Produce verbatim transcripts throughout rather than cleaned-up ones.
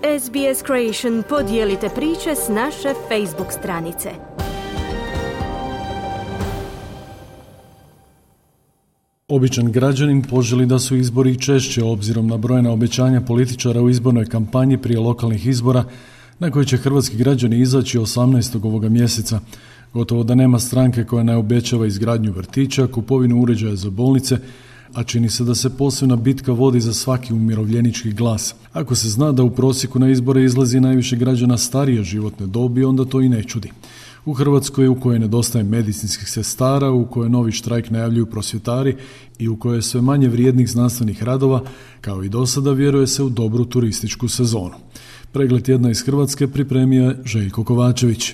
S B S Creation podijelite priče s naše Facebook stranice. Običan građanin poželi da su izbori češće obzirom na brojna obećanja političara u izbornoj kampanji prije lokalnih izbora na koje će hrvatski građani izaći osamnaestog ovoga mjeseca. Gotovo da nema stranke koja ne obećava izgradnju vrtića, kupovinu uređaja za bolnice, a čini se da se posebna bitka vodi za svaki umirovljenički glas. Ako se zna da u prosjeku na izbore izlazi najviše građana starije životne dobi, onda to i ne čudi. U Hrvatskoj, u kojoj nedostaje medicinskih sestara, u kojoj novi štrajk najavljuju prosvjetari i u kojoj je sve manje vrijednih znanstvenih radova, kao i do sada, vjeruje se u dobru turističku sezonu. Pregled tjedna iz Hrvatske pripremio je Željko Kovačević.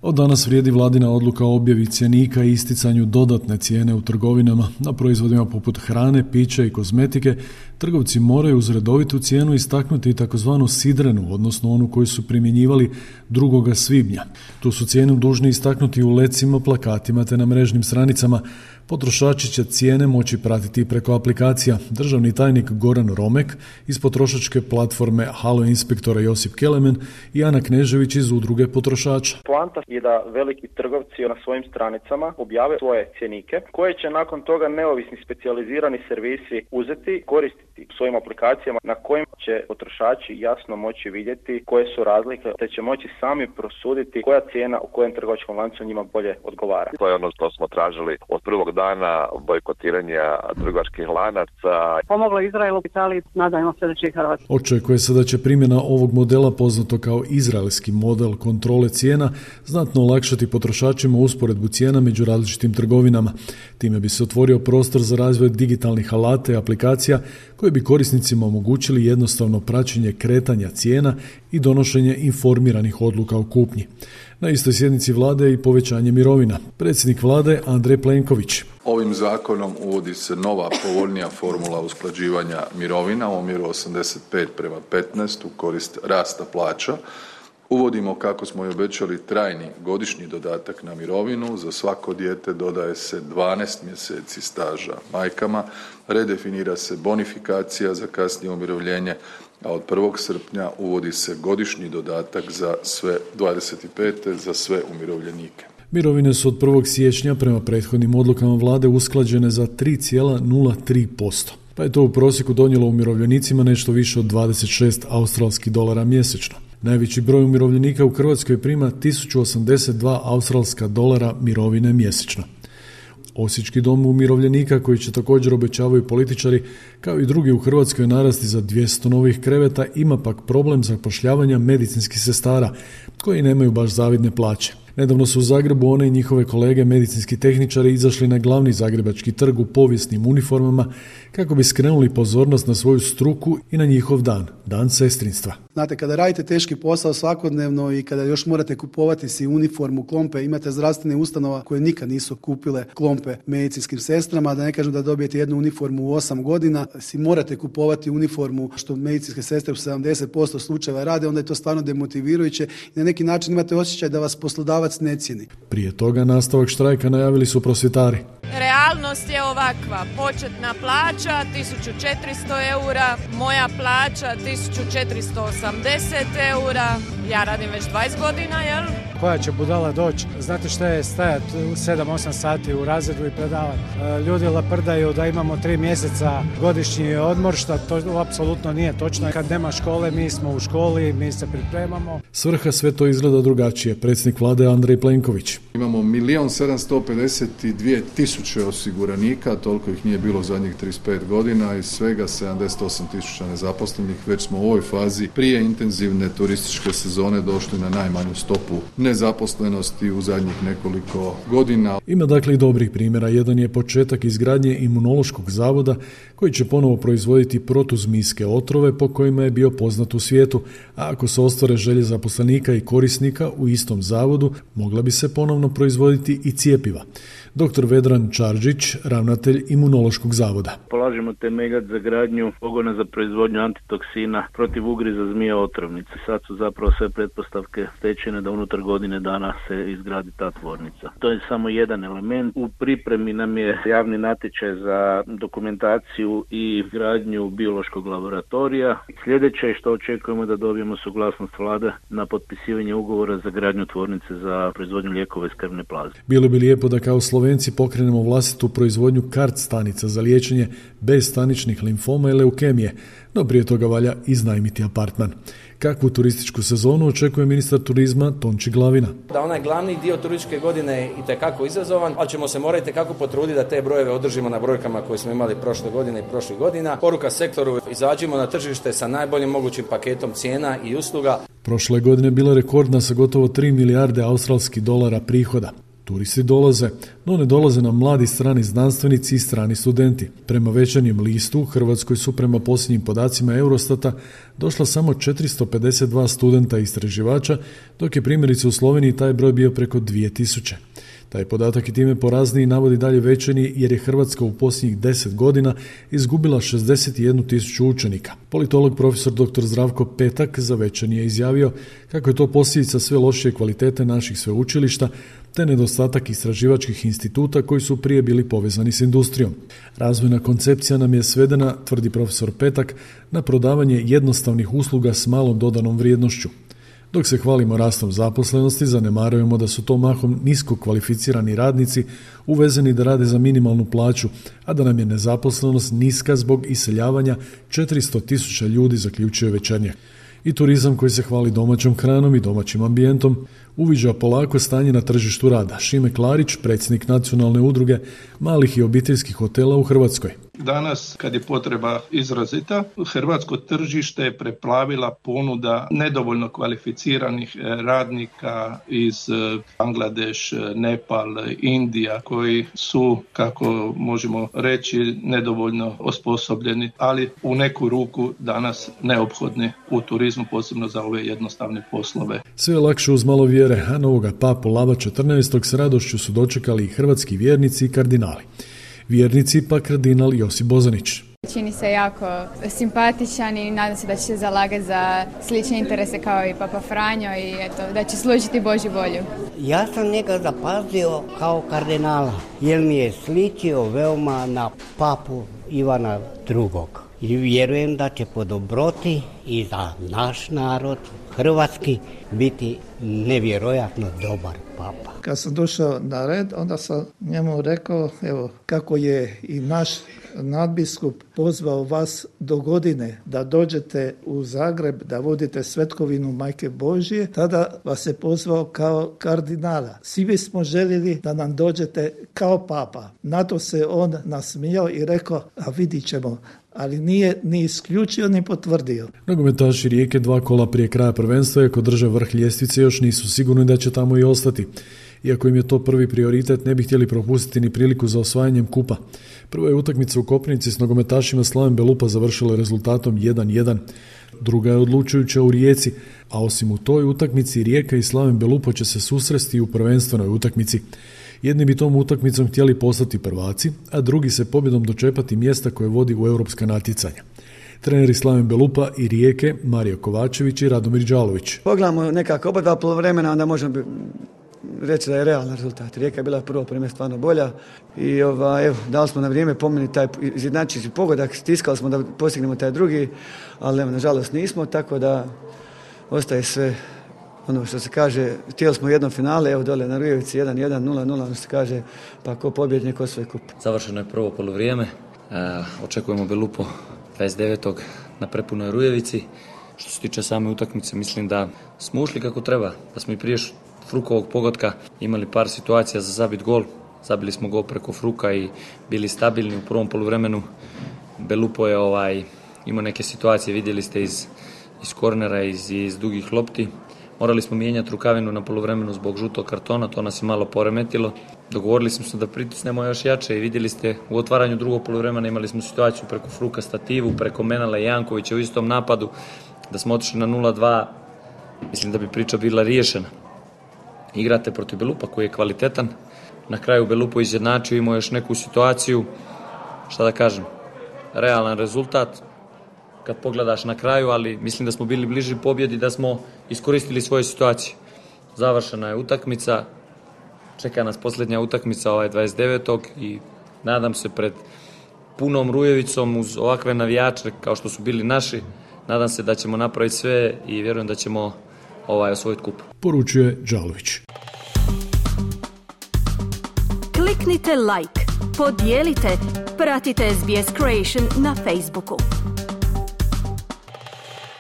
Od danas vrijedi vladina odluka o objavi cjenika i isticanju dodatne cijene u trgovinama. Na proizvodima poput hrane, pića i kozmetike trgovci moraju uz redovitu cijenu istaknuti takozvanu sidrenu, odnosno onu koju su primjenjivali drugoga svibnja. Tu su cijenu dužni istaknuti u lecima, plakatima te na mrežnim stranicama. Potrošači će cijene moći pratiti preko aplikacija. Državni tajnik Goran Romek iz potrošačke platforme Halo Inspektora Josip Kelemen i Ana Knežević iz udruge potrošača. Poanta je da veliki trgovci na svojim stranicama objave svoje cjenike koje će nakon toga neovisni specijalizirani servisi uzeti, koristiti u svojim aplikacijama na kojim će potrošači jasno moći vidjeti koje su razlike, te će moći sami prosuditi koja cijena u kojem trgovačkom lancu njima bolje odgovara. To je ono što smo tražili od prvog dana bojkotiranja trgovačkih lanaca. Pomoglo Izraelu, Italiji, nadajmo se da će i Hrvatska. Očekuje se da će primjena ovog modela, poznato kao izraelski model kontrole cijena, znatno olakšati potrošačima usporedbu cijena među različitim trgovinama. Time bi se otvorio prostor za razvoj digitalnih alata i aplikacija koji bi korisnicima omogućili jednostavno praćenje kretanja cijena i donošenje informiranih odluka o kupnji. Na istoj sjednici vlade je i povećanje mirovina. Predsjednik vlade Andrej Plenković. Ovim zakonom uvodi se nova povoljnija formula usklađivanja mirovina u omjeru osamdeset pet prema petnaest u korist rasta plaća. Uvodimo, kako smo i obećali, trajni godišnji dodatak na mirovinu. Za svako dijete dodaje se dvanaest mjeseci staža majkama. Redefinira se bonifikacija za kasnije umirovljenje, a od prvog srpnja uvodi se godišnji dodatak za sve dvadeset pete za sve umirovljenike. Mirovine su od prvog siječnja prema prethodnim odlukama vlade usklađene za tri zarez nula tri posto, pa je to u prosjeku donijelo umirovljenicima nešto više od dvadeset šest australskih dolara mjesečno. Najveći broj umirovljenika u Hrvatskoj prima tisuću osamdeset dva australska dolara mirovine mjesečno. Osječki dom umirovljenika, koji će također, obećavaju političari, kao i drugi u Hrvatskoj, narasti za dvjesto novih kreveta, ima pak problem zapošljavanja medicinskih sestara koji nemaju baš zavidne plaće. Nedavno su u Zagrebu one i njihove kolege medicinski tehničari izašli na glavni zagrebački trg u povijesnim uniformama kako bi skrenuli pozornost na svoju struku i na njihov dan, dan sestrinstva. Znate, kada radite teški posao svakodnevno i kada još morate kupovati si uniformu, klompe, imate zdravstvene ustanova koje nikad nisu kupile klompe medicinskim sestrama, da ne kažem da dobijete jednu uniformu u osam godina, si morate kupovati uniformu, što medicinske sestre u sedamdeset posto slučajeva rade, onda je to stvarno demotivirajuće i na neki način imate osjećaj da vas poslodavac ne cijeni. Prije toga nastavak štrajka najavili su prosvjetari. Realnost je ovakva, početna plaća tisuću četiristo eura, moja plaća tisuću četiristo osamdeset eura, ja radim već dvadeset godina, jel? Koja će budala doći? Znate šta je stajati sedam osam sati u razredu i predavati? Ljudi laprdaju da imamo tri mjeseca godišnji odmor, što to apsolutno nije točno. Kad nema škole, mi smo u školi, mi se pripremamo. Svrha sve to izgleda drugačije. Predsjednik vlade Andrej Plenković. Imamo milijun sedamsto pedeset dvije tisuće osiguranika, toliko ih nije bilo zadnjih trideset pet godina i svega sedamdeset osam tisuća nezaposlenih. Već smo u ovoj fazi prije intenzivne turističke sezone došli na najmanju stopu nezaposlenosti u zadnjih nekoliko godina. Ima dakle i dobrih primjera. Jedan je početak izgradnje imunološkog zavoda koji će ponovo proizvoditi protuzmijske otrove po kojima je bio poznat u svijetu, a ako se ostvare želje zaposlenika i korisnika u istom zavodu, mogla bi se ponovno proizvoditi i cjepiva. Doktor Vedran Čarđić, ravnatelj Imunološkog zavoda. Polažemo temeljac za gradnju pogona za proizvodnju antitoksina protiv ugriza zmija otrovnice. Sad su zapravo sve pretpostavke stečene da unutar godine dana se izgradi ta tvornica. To je samo jedan element. U pripremi nam je javni natječaj za dokumentaciju i gradnju biološkog laboratorija. Sljedeće je što očekujemo da dobijemo suglasnost vlade na potpisivanje ugovora za gradnju tvornice za proizvodnju lijekova iz krvne plazme. Bilo bi lijepo da kao Slovenci pokrenemo vlastitu proizvodnju kart stanica za liječenje bezstaničnih limfoma i leukemije, no prije toga valja iznajmiti apartman. Kakvu turističku sezonu očekuje ministar turizma Tonči Glavina? Da onaj glavni dio turističke godine je itekako izazovan, ali ćemo se morati itekako potruditi da te brojeve održimo na brojkama koje smo imali prošle godine i prošlih godina. Poruka sektoru, izađimo na tržište sa najboljim mogućim paketom cijena i usluga. Prošle godine bila rekordna sa gotovo tri milijarde australskih dolara prihoda. Turisti dolaze, no ne dolaze nam mladi strani znanstvenici i strani studenti. Prema Večernjem listu u Hrvatskoj su prema posljednjim podacima Eurostata došla samo četiristo pedeset dva studenta i istraživača, dok je primjerice u Sloveniji taj broj bio preko dvije tisuće. Taj podatak i time porazniji navodi dalje Večernji jer je Hrvatska u posljednjih deset godina izgubila šezdeset jednu tisuću učenika. Politolog profesor doktor Zdravko Petak za Večernji je izjavio kako je to posljedica sve lošije kvalitete naših sveučilišta te nedostatak istraživačkih instituta koji su prije bili povezani s industrijom. Razvojna koncepcija nam je svedena, tvrdi profesor Petak, na prodavanje jednostavnih usluga s malom dodanom vrijednošću. Dok se hvalimo rastom zaposlenosti, zanemarujemo da su to mahom nisko kvalificirani radnici uvezeni da rade za minimalnu plaću, a da nam je nezaposlenost niska zbog iseljavanja četiristo tisuća ljudi, zaključuje Večernjak. I turizam koji se hvali domaćom hranom i domaćim ambijentom uviđa polako stanje na tržištu rada. Šime Klarić, predsjednik Nacionalne udruge malih i obiteljskih hotela u Hrvatskoj. Danas, kad je potreba izrazita, hrvatsko tržište je preplavila ponuda nedovoljno kvalificiranih radnika iz Bangladeš, Nepal, Indija, koji su, kako možemo reći, nedovoljno osposobljeni, ali u neku ruku danas neophodni u turizmu, posebno za ove jednostavne poslove. Sve je lakše uz malo vjere, a novoga papu Lava četrnaestog s radošću su dočekali i hrvatski vjernici i kardinali. Vjernici pa kardinal Josip Bozanić. Čini se jako simpatičan i nadam se da će se zalagati za slične interese kao i Papa Franjo i eto, da će služiti Božju volju. Ja sam njega zapazio kao kardinala jer mi je sličio veoma na papu Ivana drugog. I vjerujem da će po dobroti i za naš narod, hrvatski, biti nevjerojatno dobar papa. Kad sam došao na red, onda sam njemu rekao, evo, kako je i naš nadbiskup pozvao vas do godine da dođete u Zagreb, da vodite svetkovinu Majke Božje, tada vas je pozvao kao kardinala. Svi bismo željeli da nam dođete kao papa. Na to se on nasmijao i rekao, a vidit ćemo, ali nije ni isključio ni potvrdio. Nogometaši Rijeke dva kola prije kraja prvenstva, iako drže vrh ljestvice, još nisu sigurni da će tamo i ostati. Iako im je to prvi prioritet, ne bi htjeli propustiti ni priliku za osvajanjem kupa. Prva je utakmica u Koprivnici s nogometašima Slaven Belupa završila rezultatom jedan jedan. Druga je odlučujuća u Rijeci, a osim u toj utakmici Rijeka i Slaven Belupa će se susresti u prvenstvenoj utakmici. Jedni bi tom utakmicom htjeli postati prvaci, a drugi se pobjedom dočepati mjesta koje vodi u europska natjecanja. Treneri Slaven Belupa i Rijeke, Mario Kovačević i Radomir Đalović. Pogledamo nekako oba dva poluvremena, onda možemo reći da je realan rezultat. Rijeka je bila prvo prime stvarno bolja i ova, evo, dali smo na vrijeme po meni taj izjednačiti pogodak, stiskali smo da postignemo taj drugi, ali evo, nažalost nismo, tako da ostaje sve ono što se kaže, htjeli smo u jednom finale, evo dole na Rujevici jedan jedan, nula nula, ono što se kaže, pa ko pobjednik, ko svoj kup. Završeno je prvo poluvrijeme, e, očekujemo Belupo dvadeset devetog na prepunoj Rujevici. Što se tiče same utakmice, mislim da smo ušli kako treba, da smo i prije Frukovog pogotka imali par situacija za zabit gol. Zabili smo gol preko Fruka i bili stabilni u prvom poluvremenu. Belupo je ovaj, imao neke situacije, vidjeli ste iz, iz kornera, iz, iz dugih lopti. Morali smo mijenjati rukavinu na poluvremenu zbog žutog kartona, to nas je malo poremetilo. Dogovorili smo se da pritisnemo još jače i vidjeli ste u otvaranju drugog poluvremena imali smo situaciju preko Fruka stativu, preko Menala i Jankovića u istom napadu, da smo otišli na nula dva, mislim da bi priča bila riješena. Igrate protiv Belupa koji je kvalitetan, na kraju Belupo izjednačio, imao još neku situaciju, šta da kažem, realan rezultat kad pogledaš na kraju, ali mislim da smo bili bliži pobjedi, da smo iskoristili svoje situacije. Završena je utakmica, čeka nas posljednja utakmica ovaj dvadeset devetog i nadam se pred punom Rujevicom uz ovakve navijače kao što su bili naši, nadam se da ćemo napraviti sve i vjerujem da ćemo ovaj osvojiti kup. Poručuje Đalović. Kliknite like, podijelite, pratite S B S Creation na Facebooku.